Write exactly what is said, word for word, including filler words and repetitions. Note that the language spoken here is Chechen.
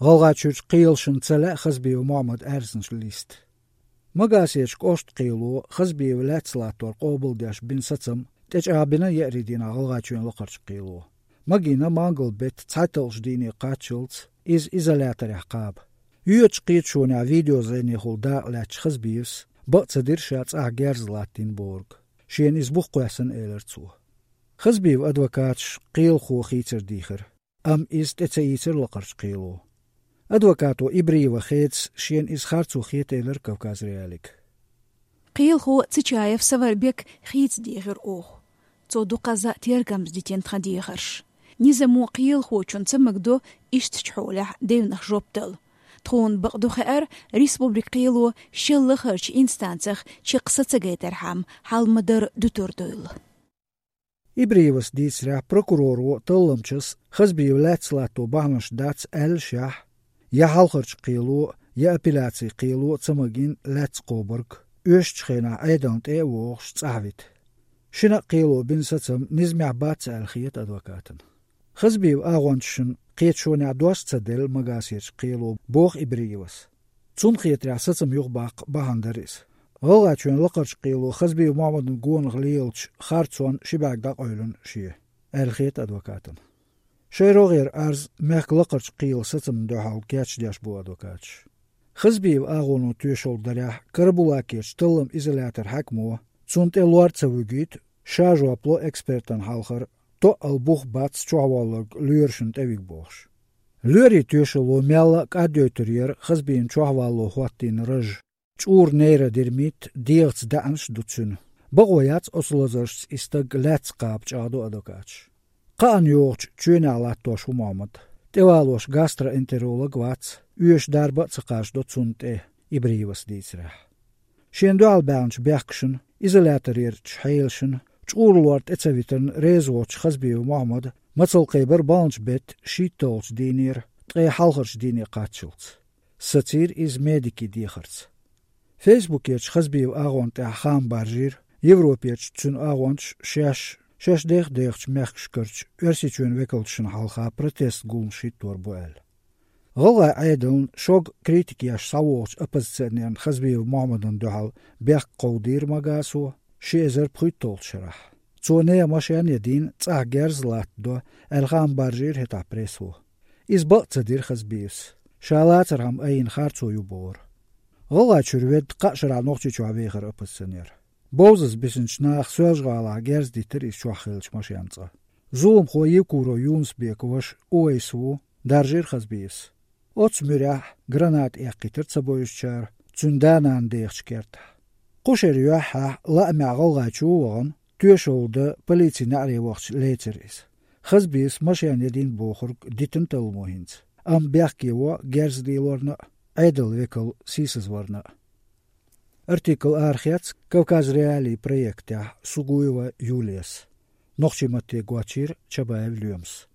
ГӀалгӀайчуьрчу кхелашна ца лаьа Хазбиев Мохьмадан аьрзнаш листа. Магасерчу кӀоштан кхело Хазбиев лаьцна латтор къобалдеш бина сацам тӀечӀагӀбина еарин дийнахь ГӀалгӀайчоьнан лакхарчу кхело. Магийна мангал-беттан цхьайтталгӀачу дийне кхаччалц иза изоляторехь кхаба. Йоьдучу кхеташонехь видеозӀенехула дакъа лаьцначу Хазбиевс бакъ ца дира ша цӀахь герз латтийна бохург. Шена иза бух кхоьссина, элира цо. Хазбиевн адвокаташа кхелахо хийцар дийхира, амма иза тӀе ца ийцира лакхарчу кхело. Адвокато Ибриева Хедас шена иза харцо хета элира Кавказ.Реалиига. Кхелахо Цичаев Саварбек хийца дийхира оха. Цо дукхазза тергамза дитина тхан дехарш. Низамо кхелахочунна ца магадо ишттачу хьолехь девнах жоп дала. Тхуна бакъду хаьара, республикан кхело шел лахарчу инстанцех чекх са ца гайтархьама, хьал ма-дарра дуьтур дуйла. Ибриевас дийцарехь, прокуроро талламчас Хазбиев лаьцна латто бахьанаш дац аьллашехь, я хьалхарчу кхело, я апелляцин кхело ца магийна лаьцна кхобург, оьшучу хенахь Ӏедална тӀе а вогӀуш, цӀахь вита. Шина а кхело бина сацам низамехь бац аьлла хета адвокатана. Хазбиевн агӀончашна кхеташонехь дош ца делла Магасерчу кхело, боху Ибриевас. Цунна хетарехь, сацам юхабаккха бахьана дара иза. ГӀалгӀайчоьнан лакхарчу кхело Хазбиев Мохьмадан гонах лелачу харцонна ши бӀаьрг дӀакъевлина шен, аьлла хета адвокатана. Шайн рогӀера арз мехкан лакхарчу кхелан сацамна дуьхьал кечдеш бу адвокаташ. Хазбиевн агӀоно тоьшалла дарехь, Карабулакерчу талламан изоляторан хьаькамо цунна тӀе лор ца вуьгуьйту, ша жоп ло экспертана хьалхара, тоъал бух бац чохь воллург лоьрашна тӀевига бохуш. Лоьрийн тоьшалло мелла а кӀаддойтур яра Хазбиевн чохь валло хӀоттийна раж, чӀуран нейродермит, дегӀаца даьӀанаш а ду цуьнан. Бакъо яц оцу лазаршца и стаг лаьцна кхаба, чӀагӀдо адвокаташа. Кхаъна йогӀучу чоьнехь латтош ву Мохьмад. ТӀевалош гастроэнтеролог вац, оьшу дарба а ца кхачадо цунна тӀе, Ибриевас дийцарехь. Шена дуьхьал баьхначу бехкашна, изоляторерчу хьелашна, чӀуран лор тӀе ца витарна реза воцчу Хазбиев Мохьмада мацалла кхайбира баханчу беттан шийтталгӀачу дийнера ткъе хьалхарчу дийне кхаччалц. Сацийра иза медикийн дехарца. Фейсбукерчу Хазбиевн агӀонна тӀехь хаам баржийра, Европерчу цуьнан агӀончаша шаьш, шаьш дех-дехачу мехкашкарчу Оьрсийчоьнан векалшна хьалха протест гуламаш хӀиттор бу аьлла. ГӀалгӀайн Ӏедална шога критика еш схьавогӀучу оппозиционерна Хазбиев Мохьмадана дуьхьал бехк кховдийра Магасо ши эзар пхийтталгӀачу шарахь. Цо нехан машен а дийна, цӀахь герз а латтадо, аьлла хаам баржийра хӀетахь прессо. Иза бакъ ца дира Хазбиевс, ша лацархьама айина харцо ю бохура. ГӀалгӀайчуьра ведда кхаа шарахь Нохчийчохь вехара оппозиционер. Бовзаза бисинчу наха Соьлжа-ГӀалахь герз диттира иза чохь хиллачу машен цӀа. Зуламхо Евкуров Юнус-Бекан ваша Увайс ву, даржийра Хазбиевс. Оццу муьрехь граната эккхийтира ца бевзачара цуьнан да-нана дехачу кертахь. Кху шеран юьххьехь лаамехь ГӀалгӀайчу а вахана, тоьшалла дан полицин неӀаре вахча лецира иза. Хазбиевс машен ядийна бохург дитина талламо хӀинца, амма бехке во герз лелорна а, Ӏедалан векал сийсазварна а. Артикл арахецна Кавказ.Реалии проектехь Сугуева Юлияс. Нохчийн матте гочйийра Чабаев Лоьмас.